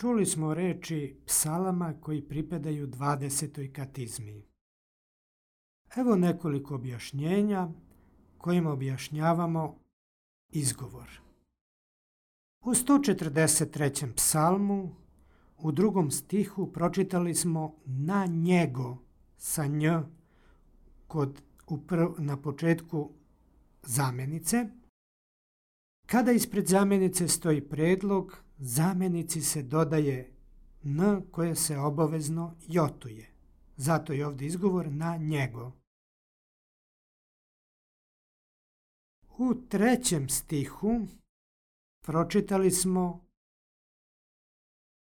Čuli smo reči psalama koji pripadaju 20. katizmi. Evo nekoliko objašnjenja kojim objašnjavamo izgovor. U 143. psalmu u 2. stihu pročitali smo na njego sa nj na početku zamjenice. Kada ispred zamjenice stoji predlog, zamjenici se dodaje n koje se obavezno jotuje. Zato je ovdje izgovor na njego. U 3. stihu pročitali smo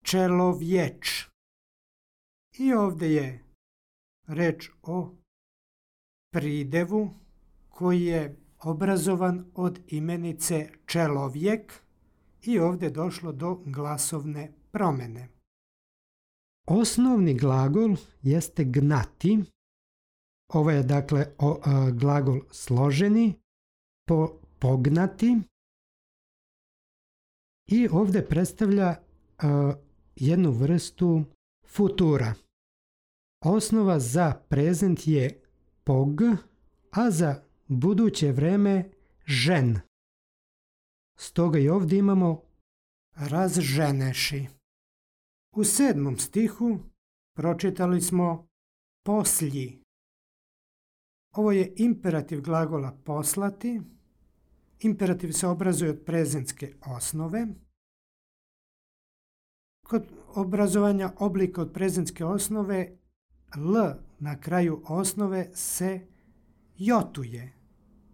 čelovječ. I ovdje je reč o pridevu koji je obrazovan od imenice čelovjek i ovdje je došlo do glasovne promjene. Osnovni glagol jeste gnati. Ovo je dakle glagol složeni, pognati. I ovdje predstavlja jednu vrstu futura. Osnova za prezent je pog, a za buduće vreme žen. Stoga i ovdje imamo razženeši. U 7. stihu pročitali smo poslji. Ovo je imperativ glagola poslati. Imperativ se obrazuje od prezentske osnove. Kod obrazovanja oblika od prezentske osnove l na kraju osnove se jotuje.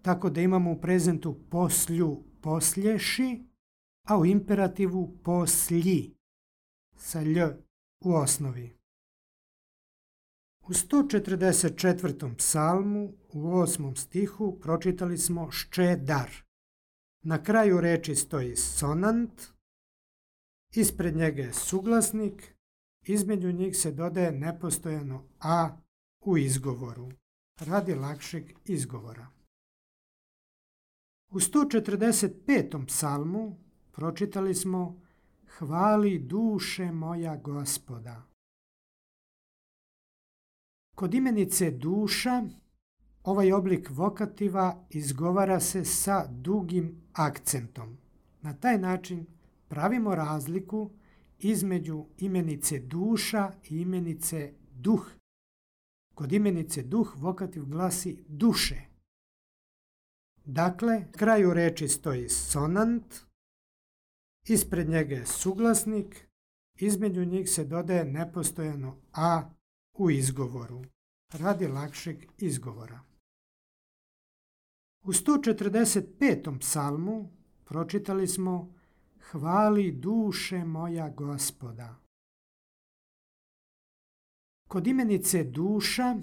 Tako da imamo u prezentu poslju, poslješi, a u imperativu poslji sa lj u osnovi. U 144. psalmu u 8. stihu pročitali smo ščedar. Na kraju reči stoji sonant, ispred njega je suglasnik, između njih se dodaje nepostojano a u izgovoru, radi lakšeg izgovora. U 145. psalmu pročitali smo hvali duše moja Gospoda. Kod imenice duša ovaj oblik vokativa izgovara se sa dugim akcentom. Na taj način pravimo razliku između imenice duša i imenice duh. Kod imenice duh vokativ glasi duše. Dakle, na kraju reči stoji sonant, ispred njega je suglasnik, između njih se dodaje nepostojano a u izgovoru, radi lakšeg izgovora. U 145. psalmu pročitali smo hvali duše moja Gospoda. Kod imenice duša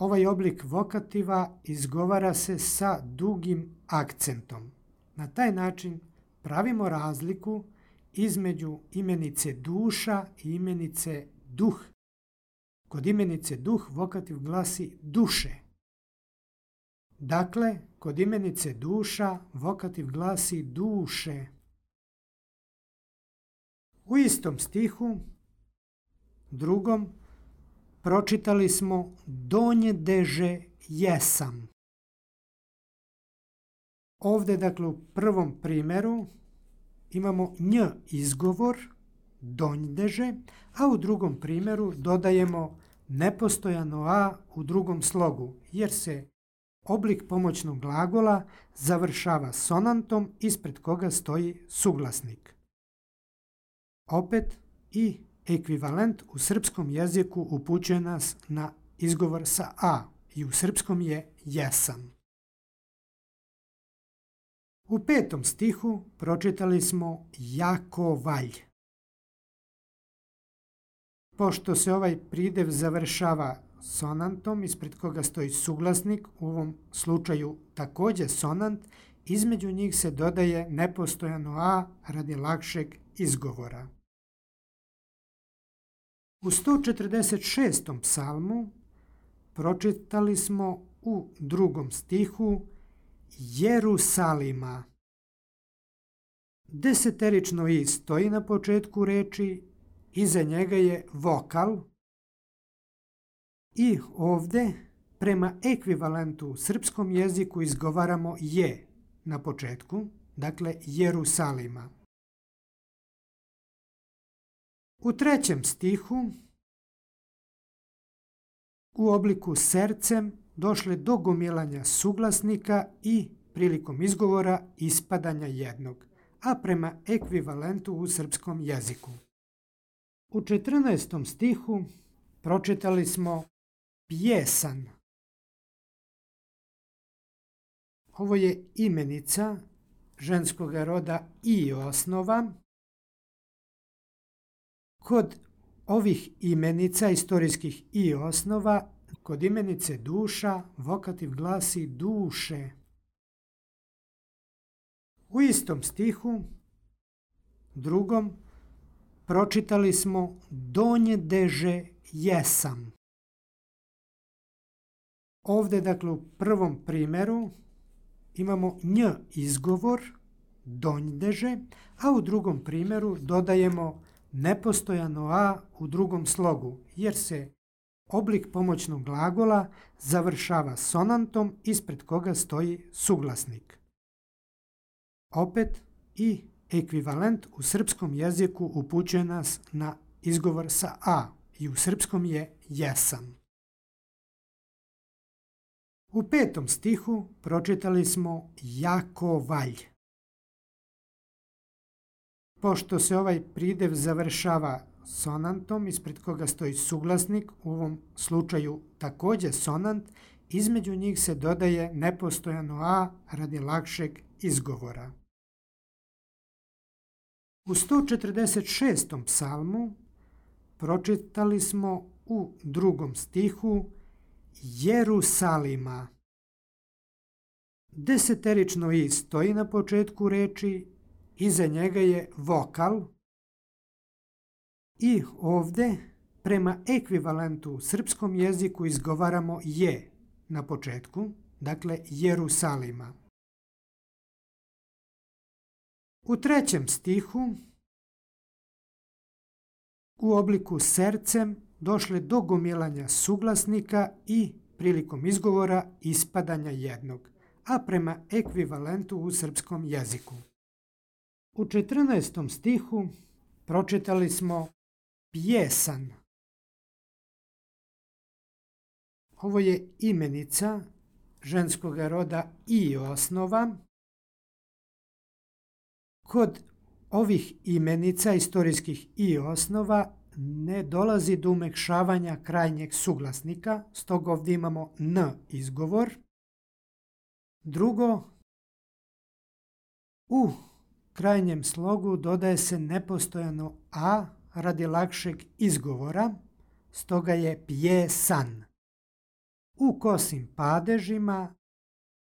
ovaj oblik vokativa izgovara se sa dugim akcentom. Na taj način pravimo razliku između imenice duša i imenice duh. Kod imenice duh vokativ glasi duše. Dakle, kod imenice duša vokativ glasi duše. U istom stihu, 2. pročitali smo donjedeže jesam. Ovdje, dakle, u prvom primjeru imamo nj izgovor, donjdeže, a u drugom primjeru dodajemo nepostojano a u drugom slogu, jer se oblik pomoćnog glagola završava sonantom ispred koga stoji suglasnik. Opet i ekvivalent u srpskom jeziku upućuje nas na izgovor sa a i u srpskom je jesam. U 5. stihu pročitali smo Jakovalj. Pošto se ovaj pridev završava sonantom ispred koga stoji suglasnik, u ovom slučaju također sonant, između njih se dodaje nepostojano a radi lakšeg izgovora. U 146. psalmu pročitali smo u 2. stihu Jerusalima. Deseterično i stoji na početku reči iza njega je vokal i ovdje prema ekvivalentu u srpskom jeziku izgovaramo je na početku, dakle Jerusalima. U 3. stihu u obliku sercem došle do gomilanja suglasnika i prilikom izgovora ispadanja jednog, a prema ekvivalentu u srpskom jeziku. U 14. stihu pročitali smo pjesan. Ovo je imenica ženskog roda i osnova. Kod ovih imenica, istorijskih i osnova, kod imenice duša, vokativ glasi duše. U istom stihu, drugom, pročitali smo donjedeže jesam. Ovdje, dakle, u prvom primjeru imamo nj izgovor, donjdeže, a u drugom primjeru dodajemo nepostojano a u drugom slogu, jer se oblik pomoćnog glagola završava sonantom ispred koga stoji suglasnik. Opet i ekvivalent u srpskom jeziku upućuje nas na izgovor sa a i u srpskom je jesam. U 5. stihu pročitali smo Jakovalj. Pošto se ovaj pridev završava sonantom ispred koga stoji suglasnik, u ovom slučaju također sonant, između njih se dodaje nepostojano a radi lakšeg izgovora. U 146. psalmu pročitali smo u 2. stihu Jerusalima. Deseterično i stoji na početku reči, iza njega je vokal i ovdje prema ekvivalentu u srpskom jeziku izgovaramo je na početku, dakle Jerusalima. U 3. stihu u obliku sercem došle do gomilanja suglasnika i prilikom izgovora ispadanja jednog, a prema ekvivalentu u srpskom jeziku. U 14. stihu pročitali smo pjesan. Ovo je imenica ženskog roda i osnova. Kod ovih imenica, istorijskih i osnova, ne dolazi do umekšavanja krajnjeg suglasnika, stoga ovdje imamo n izgovor. Drugo, u krajnjem slogu dodaje se nepostojano a radi lakšeg izgovora, stoga je pjesan. U kosim padežima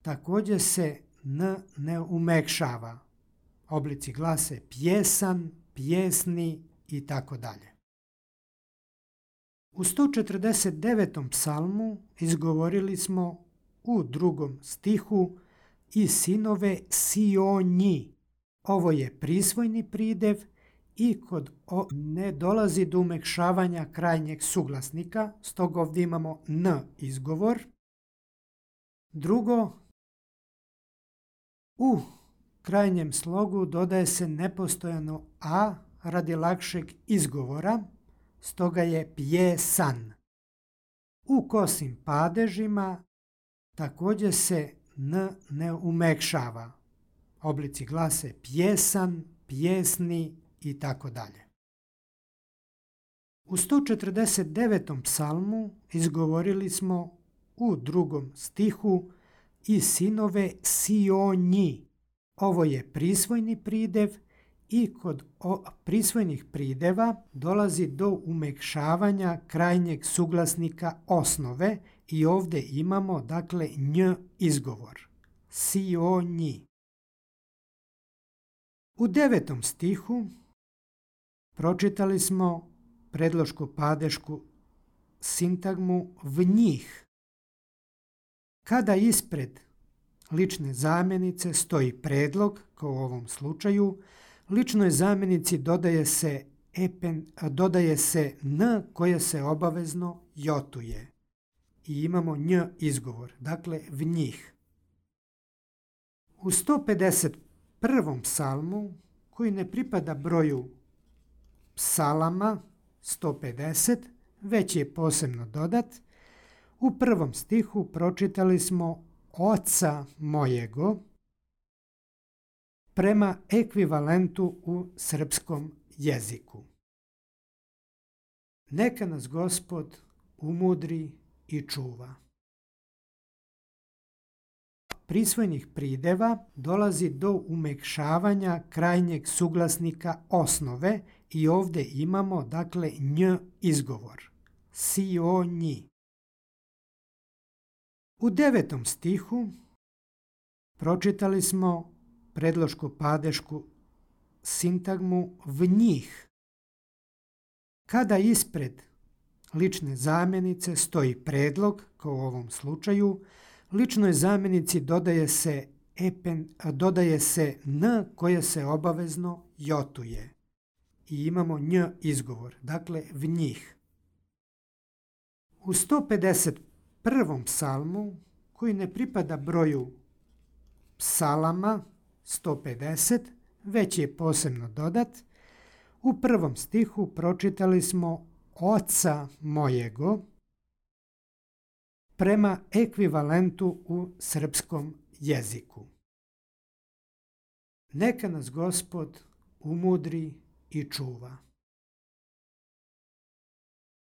također se n ne umekšava. Oblici glase pjesan, pjesni i tako dalje. U 149. psalmu izgovorili smo u 2. stihu i sinove Sionji. Ovo je prisvojni pridev i kod ne dolazi do umekšavanja krajnjeg suglasnika, stoga ovdje imamo n izgovor. Drugo, u krajnjem slogu dodaje se nepostojano a radi lakšeg izgovora, stoga je pjesan. U kosim padežima također se n ne umekšava. Oblici glase pjesan, pjesni i tako dalje. U 149. psalmu izgovorili smo u 2. stihu i sinove Sionji. Ovo je prisvojni pridev i kod prisvojnih prideva dolazi do umekšavanja krajnjeg suglasnika osnove i ovdje imamo dakle nj izgovor. Sionji. U 9. stihu pročitali smo predloško-padešku sintagmu v njih. Kada ispred lične zamjenice stoji predlog, kao u ovom slučaju, ličnoj zamjenici dodaje se dodaje se n koje se obavezno jotuje. I imamo nj izgovor, dakle vnjih. U 151. psalmu, koji ne pripada broju psalama 150, već je posebno dodat, u prvom stihu pročitali smo oca mojego prema ekvivalentu u srpskom jeziku. Neka nas Gospod umudri i čuva. Prisvojnih prideva dolazi do umekšavanja krajnjeg suglasnika osnove i ovdje imamo dakle nj izgovor. Si o nji. U 9. stihu pročitali smo predloško-padešku sintagmu vnjih. Kada ispred lične zamjenice stoji predlog, kao u ovom slučaju, ličnoj zamjenici dodaje se n koje se obavezno jotuje. I imamo nj izgovor, dakle vnjih. U 151. psalmu, koji ne pripada broju psalama 150, već je posebno dodat, u prvom stihu pročitali smo oca mojego prema ekvivalentu u srpskom jeziku. Neka nas Gospod umudri i čuva.